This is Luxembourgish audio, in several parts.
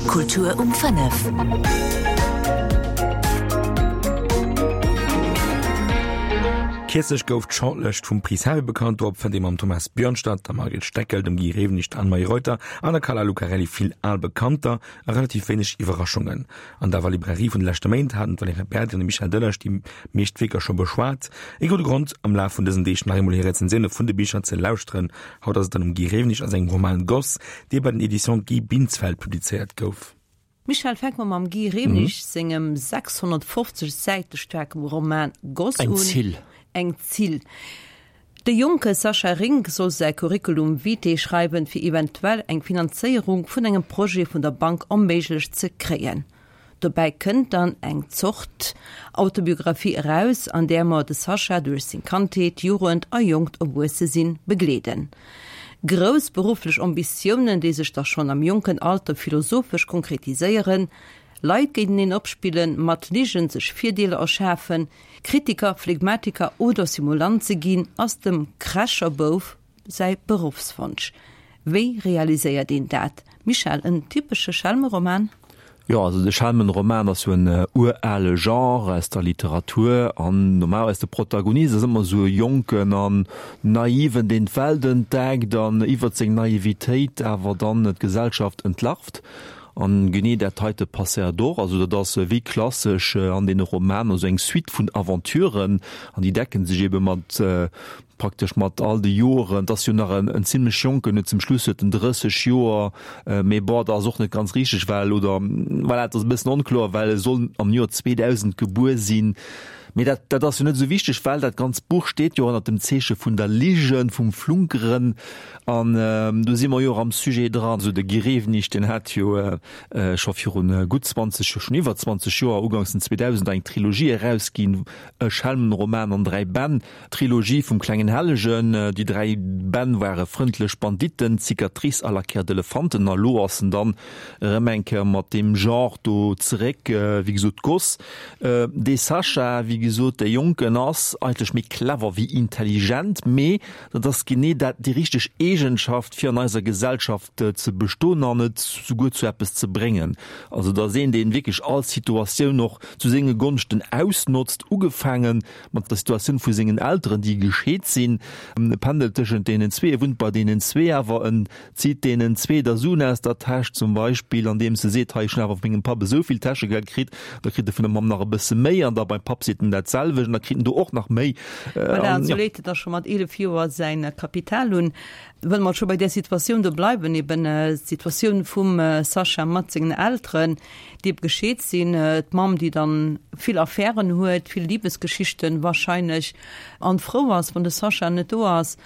Kultur um 5. Kierzlech gouf d'Shortlëscht vum Prix Harry bekannt. Dorop fënnt ee mam Thomas Björnstad, der Margret Steckel, dem Guy Rewenig, der Anne-Marie Reuter an der Carla Lucarelli vill al Bekannter a relativ wéineg Iwwerraschungen. An der Librairie vun de leschte Méint haten d'Valerija Berdi an de Michel Delage déi meescht Wierker scho beschwat. Ee gudde Grond, am Laf vun dësen Deeg nach eemol hir Rezensioune vun de Bicher ze lauschteren. Haut ass et dann um Guy Rewenig a sengem Roman Goss, dee bei den Editions Guy Binsfeld publizéiert gouf. Michel, fänke mer mam Guy Rewenig sengem 650 Säite staarke Roman Goss un. Eng Zill. Eng Zill. De jonke Sascha Rink soll säi Curriculum vitae schreiwen, fir eventuell eng Finanzéierung vun engem Projet vun der Bank erméiglecht ze kréien. Dobäi kënnt dann eng Zort Autobiographie eraus, an där mer de Sascha duerch seng Kandheet, Jugend a jonkt Erwuessesinn begleeden. Grouss berufflech Ambitiounen, déi sech da schonn am jonken Alter philosophesch konkretiséieren, Leit géinteneen opspillen, mat Ligen sech Virdeeler erschafen, Kritiker, Phlegmatiker oder Simulant ze ginn, ass dem Kräscherbouf säi Beruffswonsch. Wéi realiséiert een dat? Michèle, en typesche Schelmeroman? Jo, also de Schelmenroman ass jo en urale Genre aus der Literatur an normalerweis de Protagonist ass ëmmer esou e Jonken an Naiven, deen d'Welt entdeckt an iwwert seng Naivitéit awer dann d'Gesellschaft entlarvt. An genee dat heite passéiert och. Also dat ass wéi klassesch an deene Romaner esou eng Suite vun Aventuren an déi decken sech ebe mat praktesch mat all de Joren. Et ass jo nach en zimlech Jonken, huet zum Schluss huet en 30 Joer, mee bon, dat ass och net ganz richteg, well, oder voilà, et ass e bëssen onkloer, well e soll am Joer 2000 gebuer sinn. Mee dat, dat ass jo net esou wichteg, well dat ganzt Buch steet jo ënnert dem Zeeche vun der Ligen, vum Flunkeren. An do si mer jo och am Sujet dran. Also de Guy Rewenig, deen hat jo scho virun gutt 20, schonn iwwer 20 Joer, uganks den 2000er eng Trilogie erausginn, e Schelmenroman an dräi Bänn, D'Trilogie vum klengen Hellegen. Déi dräi Bänn ware Frëndlech Banditten, Cicatrice a La Chair d'Elefanten. A lo ass en dann erëm eng Kéier mat deem Genre do zeréck. Wéi gesot, d'Goss. Dee Sascha, wéi gesot, dee Jonken ass eigentlech méi clever wéi intelligent, mee dat ass genee dat, déi richteg Eegenschaft, fir an eiser Gesellschaft ze bestoen an et souguer zu eppes ze bréngen. Also et ass een, deen wierklech all Situatioun och zu senge Gonschten ausnotzt, ugefaange mat der Situatioun vu sengen Elteren, déi gescheet sinn. E pendelt tëschent deenen zwee, e wunnt bei deenen zwee, awer en zitt deenen zwee da Suen aus der Täsch, zum Beispill andeems e seet, hei ech hunn awer vu mengem Papp esou vill Täschegeld kritt, da kritt e vun der Mamm nach e bësse méi an da beim Papp seet en dat selwecht an da kritt en do och nach méi. Voilà, an esou leet en da scho mat 11 Joer säin Kapital un. Wëll mer scho bei där Situatioun do bleiwen, eben d'Situatioun vum Sascha mat sengen Elteren, déi ebe gescheet sinn, d'Mamm, déi dann vill Affären huet, vill Libesgeschichten wahrscheinlech, an frou ass, wann de Sascha net do ass,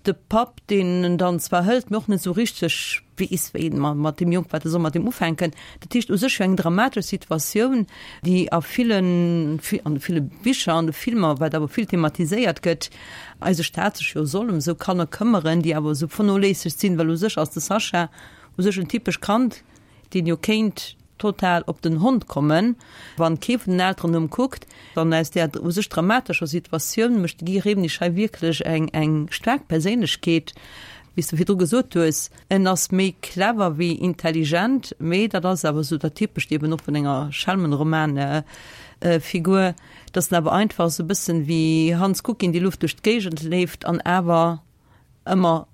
de Papp, deen en dann zwar hëlt, mee och net esou richteg weess, wéi en mat deem Jong, wat e soll mat deem ufänken. Dat heescht, u sech jo eng dramatesch Situatioun, déi a villen, an ville Bicher, an de Filmer, wat awer vill thematiséiert gëtt, eise Staat sech jo soll ëm esou Kanner këmmeren, déi awer esou vernoléissegt sinn, well u sech ass de Sascha u sech en typescht Kand, deen jo kéint total op den Hond kommen, wann kee vun den Elteren no em kuckt. An aus där u sech dramatescher Situatioun mécht de Guy Rewenig hei wierklech eng eng staark Perséinlechkeet, wéi s de virdru gesot hues, en ass méi clever wéi intelligent, mee dat ass awer esou dat Typescht eben och vun enger Schelmenroman-Figur, dass en awer einfach esou e bëssen wéi Hans Kuck in die Luft duerch d'Géigend leeft an awer ëmmer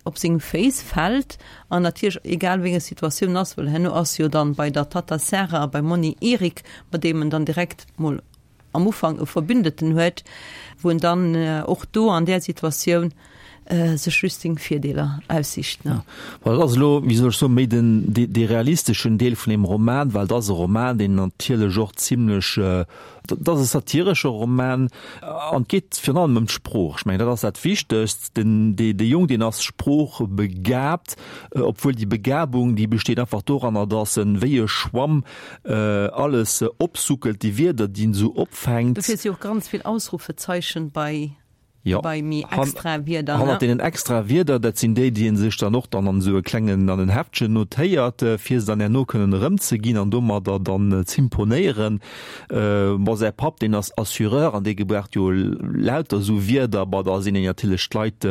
op seng Féiss fält an natierlech egal wéi eng Situatioun ass, well herno ass jo dann bei der Tatta Sarah a beim Monni Erik, mat deem en dann direkt mol am Ufank e Verbündeten huet, wou en dann och do an där Situatioun sech just seng Virdeeler aussicht. Ja, well dat ass elo, wéi soll ech soen, méi den, dee realisteschen Deel vun deem Roman, well et ass e Roman, deen natierlech och zimlech, Dat ass e satiresche Roman an et geet virun allem ëm d'Sprooch. Ech mengen, dat ass dat Wichtegst. Den, dee, dee Jong, deen ass sproochbegabt, obwuel déi Begabung, déi besteet einfach doranner, datt en wéi e Schwamm alles opsuckelt, déi Wierder, déi en esou opfänkt. Dofir si och ganz vill Ausrufezeichen bei. Jo, bei méi extra Wierder, ne? Hannert deenen extra Wierder, dat sinn déi, déi ee sech dann och dann an esou e klengen, an en Heftchen notéiert, fir se dann herno kënnen erëmzeginn an domadder dann z'imponéieren. Bon, säi Papp, deen ass Assureur an dee gebraucht jo lauter esou Wierder. Bon, da sinn een natierlech d'Leit,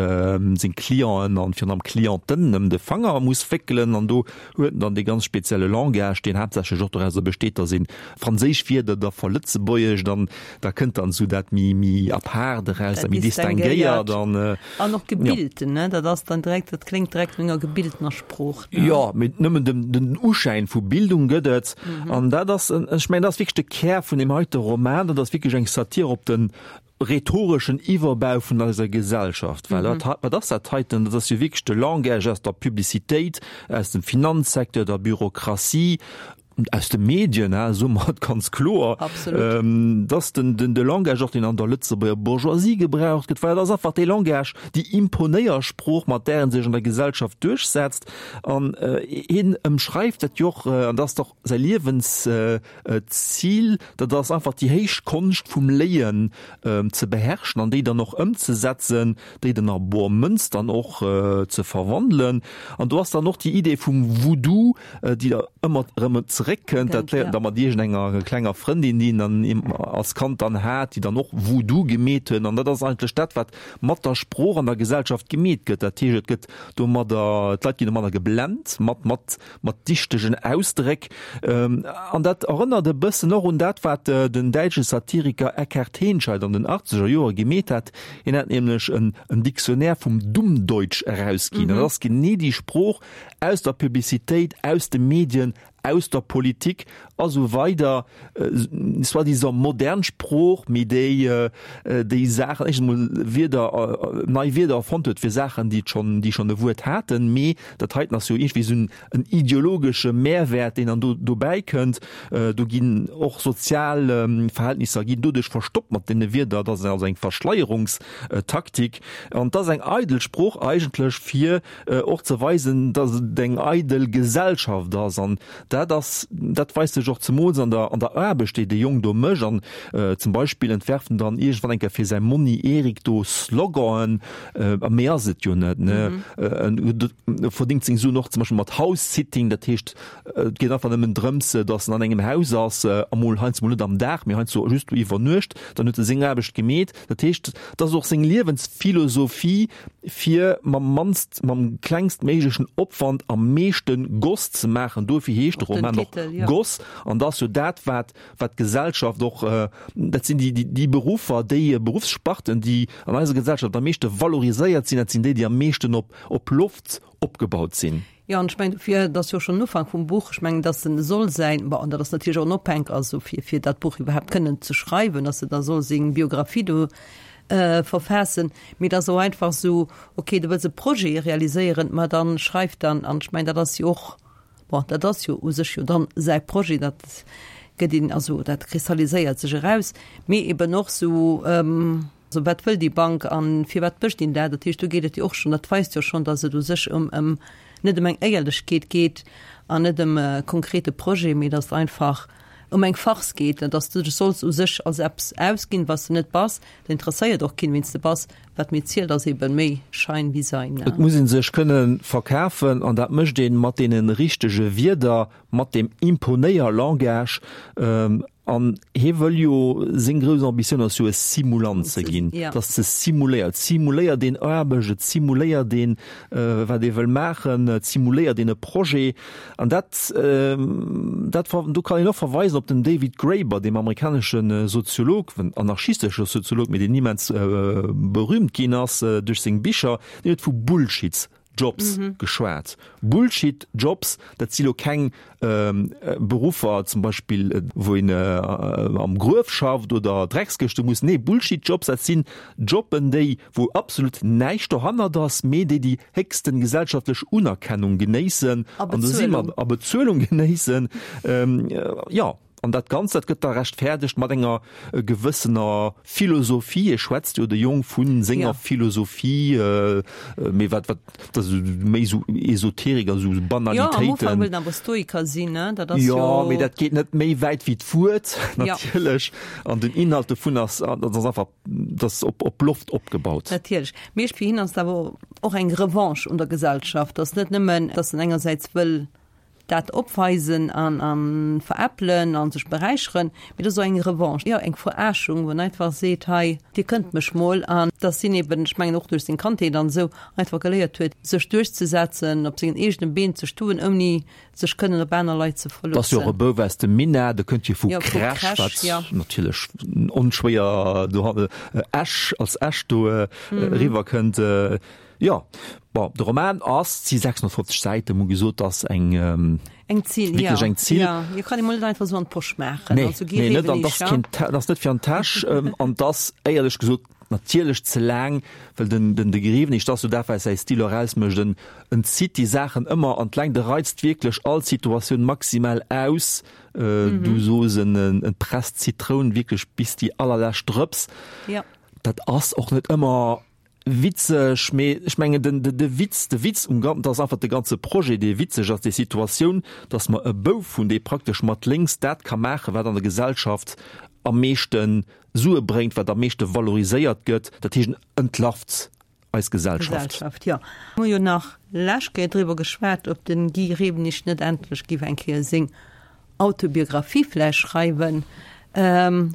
seng Clienten an virun allem Clienten ëm de Fanger muss wéckelen an do huet en dann dee ganz spezielle Langage, deen haaptsächlech och dorauser besteet, datt een franséisch Wierder da verlëtzebuergescht an da kënnt dann esou dat méi méi apaart eraus, dat méi distinguéiert an An och gebilten, ne? Dat ass dann direkt, dat kléngt direkt no enger gebiltener Sprooch, ne? Jo, mee nëmmen den den Uschäin vu Bildung gëtt et. An dat ass, ech mengen, dat ass wierklech de Kär vun deem heite Roman, dat ass wierklech eng Satir op den rhetoreschen Iwwerbau vun eiser Gesellschaft, well wat, wat ass dat heiten? Dat ass jo wierklech de Langage aus der Publicitéit, aus dem Finanzsecteur, der Bürokratie, aus de Medien, hein, soe mer et ganz kloer. Absolut. Dass den, den, de Langage och, deen an der Lëtzebuerger Bourgeoisie gebraucht gëtt, well dat ass einfach dee Langage, déi Imponéiersprooch, mat där ee sech an der Gesellschaft duerchsetzt. An hien ëmschreift dat jo och, an dat ass dach säi Liewens, D'Zil, dat ass einfach déi héich Konscht vum Léien ze beherrschen an déi dann och ëmzesetzen, déi dann a bor Mënz dann och ze verwandelen. An do ass dann och déi Idee vum Voodoo, déi da ëmmer erëm zeréckkënnt. Dat léiert en da mat iergendenger klenger Frëndin, déi en dann als Kand dann hat, déi dann och Voodoo gemeet huet. An dat ass eigentlech dat, wat mat der Sprooch an der Gesellschaft gemeet gëtt. Dat heescht, et gëtt domadder, d'Leit ginn domadder geblent, mat, mat mat dichtegen Ausdréck. An dat erënnert e bëssen och un dat, wat den däitsche Satiriker Eckhard Henscheid an den achtzeger Joere gemeet hat. Hien hat nämlech en Dictionnaire vum Dummdeutsch erausginn. Dat ass genee déi Sprooch aus der Publicitéit, aus de Medien, aus der Politik a sou weider, soi-disant modern Sprooch, mee déi déi Saachen, éischtens emol Wierder, nei Wierder erfonnt huet fir Saachen, déi et schonn, déi schonn e Wuert haten, mee dat heiten ass jo iergendwéi esou en ideologesche Mehrwäert, deen dann do dobäi kënnt. Do ginn och sozial Verhältnisser ginn doduerch verstoppt mat deene Wierder. Dat ass also eng Verschleierungstaktik an et ass eng eidel Sprooch eigentlech, fir och ze weisen, datt et eng eidel Gesellschaft ass. An dat ass, dat weist sech och zemools an der, an der Aarbecht, déi de Jong do mécht. An zum Beispill entwerft en dann iergendwann eng Kéier fir säi Monni Erik do Sloganen, a méi ass et jo net, ne? En verdéngt seng Suen och zum Beispill mat House-Sitting, dat heescht, et geet einfach nëmmen drëms, datt en an engem Haus ass, emol heiansdo mol net am Dag, mee heiansdo just iwwer Nuecht, dann huet e seng Aarbecht gemeet. Dat heescht, dat ass och seng Liewensphilosophie, fir mam mannst, mam klengstméiglechen Opwand am meeschte Goss ze maachen. Dofir heescht de Roman och Goss. An dat ass jo dat, wat, wat d'Gesellschaft och, dat sinn déi, déi Beruffer, déi Beruffssparten, déi an eiser Gesellschaft am meeschte valoriséiert sinn, dat sinn déi, déi am meeschten op, op Loft opgebaut sinn. Jo, an ech mengen dofir, et ass jo schonn den Ufank vum Buch, ech mengen, dass en soll säin, bon, an dat ass natierlech och en Ophänk, also fir, fir dat Buch iwwerhaapt kënnen ze schreiwen, dass e da soll seng Biographie do verfaassen, mee et ass och einfach esou, okay, du wëlls e Projet realiséieren, ma dann schreif dann, an ech mengen, dat ass jo och, bon, dat ass jo u sech jo dann säi Projet, dat gëtt een, also dat kristalliséiert sech eraus, mee eben och esou, Also wat wëll déi Bank a firwat mécht een dat? Dat heescht, do geet et jo och schonn, dat weist jo schonn, datt et u sech ëm, ëm net ëm eng Éierlechkeet geet an net ëm e konkrete Projet, mee datt et einfach ëm eng Farce geet, datt s du dech solls u sech als eppes ausginn, wat s de net bass. Dat interesséiert och keen, wien s de bass. Wat méi zielt, ass eebe méi Schein wéi Sein. Et muss ee sech kënne verkafen an dat mécht ee mat deene richtege Wierder, mat deem Imponéier-Langage. An hie wëll jo, seng grouss Ambitioun ass jo e Simulant ze ginn, dass ze simuléiert, et simuléiert een Aarbecht, et simuléiert een, wat ee wëll maachen, et simuléiert een e Projet. An dat, dat, do kann een och verweisen op den David Graeber, deem amerikanesche Soziolog, anarchistesche Soziolog, mee deen immens berühmt ginn ass duerch seng Bicher, deen huet vu Bullshits Jobs mhm. geschwat. Bullshit Jobs, dat si lo keng ähm, Beruffer zum Beispill äh, wou een äh, am Gruef schafft oder Drecksgëschte muss. Nee, Bullshit Jobs, dat sinn Jobben, déi wou absolut näischt dohannert ass, mee déi déi héchsten gesellschaftlech Unerkennung genéissen a Bezuelung, a Bezuelung genéissen. Ähm, äh, ja. An dat Ganzt, dat gëtt da rechtfäerdegt mat enger gewëssener Philosophie. E schwätzt jo, de Jong, vu senger Philosophie, mee wat, wat, dat ass méi esou Esoterik a sou Banalitéiten. Jo, am Ufank wëll en awer Stoiker sinn, ne? Dat ass jo. Jo, mee dat geet net méi wäit wéi d'Wuert, natierlech. An den Inhalt dovun ass, dat ass einfach, dat ass op, op Loft opgebaut. Natierlech. Mee fir hien ass et awer och eng Revanche un der Gesellschaft. Ass net nëmmen, datt en engersäits wëll dat opweisen an a veräppelen a sech beräicheren, mee dat ass och eng Revanche, jo eng Verarschung, wou en einfach seet, hei dir kënnt mech mol. An dass hien eben, ech mengen och duerch seng Kandheet an esou, einfach geléiert huet, sech duerchzesetzen, op sengen eegene Been ze stoen, ouni sech kënnen op aner Leit ze Dat ass jo och e verloossen. Bouf aus dem Minett, e kënnt jo vu Jo, vu Crèche, Crèche, wat jo. natierlech onschwéier do Esch als Esch do eriwwerkënnt. Jo, bon, de Roman ass, et si 650 Säiten, mol gesot, ass eng, Eng Zill, jo. wierklech eng Zill. Jo, jo, kann ee mol net einfach esou an d'Posch maachen. Nee, Also gi nee, net Rewen an, eech, ass keen, ass net fir an d'Täsch an 't ass éierlech gesot natierlech ze laang, well den, den, de Grewenig, dat ass jo dat, wat säi Stil och ausmécht, en, en zitt déi Saachen ëmmer an d'Längt, e reizt wierklech all Situatioun maximal aus, du soos, en, en presst d'Zitroun wierklech bis déi allerlescht Drëps. Jo. Dat ass och net ëmmer Witzeg, mee ech mengen den de Witz, de Witz um Ganzen, dat ass einfach de ganze Projet, dee witzeg ass, déi Situatioun, datt mer e Bouf hunn, dee praktesch mat lénks dat ka maachen, wat an der Gesellschaft am meeschte Sue bréngt, wat am meeschte valoriséiert gëtt, dat heescht en entlarvt eis Gesellschaft. Gesellschaft, jo. Mir hu jo nach lescht Kéier driwwer geschwat, ob de Guy Rewenig net endlech géif eng Kéier seng Autobiographie vläicht schreiwen.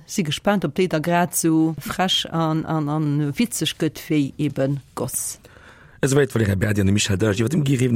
Si gespaant, ob déi da grad sou frech an an witzeg gëtt wéi eben Goss. Esouwäit d'Valerija Berdi an de Michel Delage iwwer dem Guy Rewenig.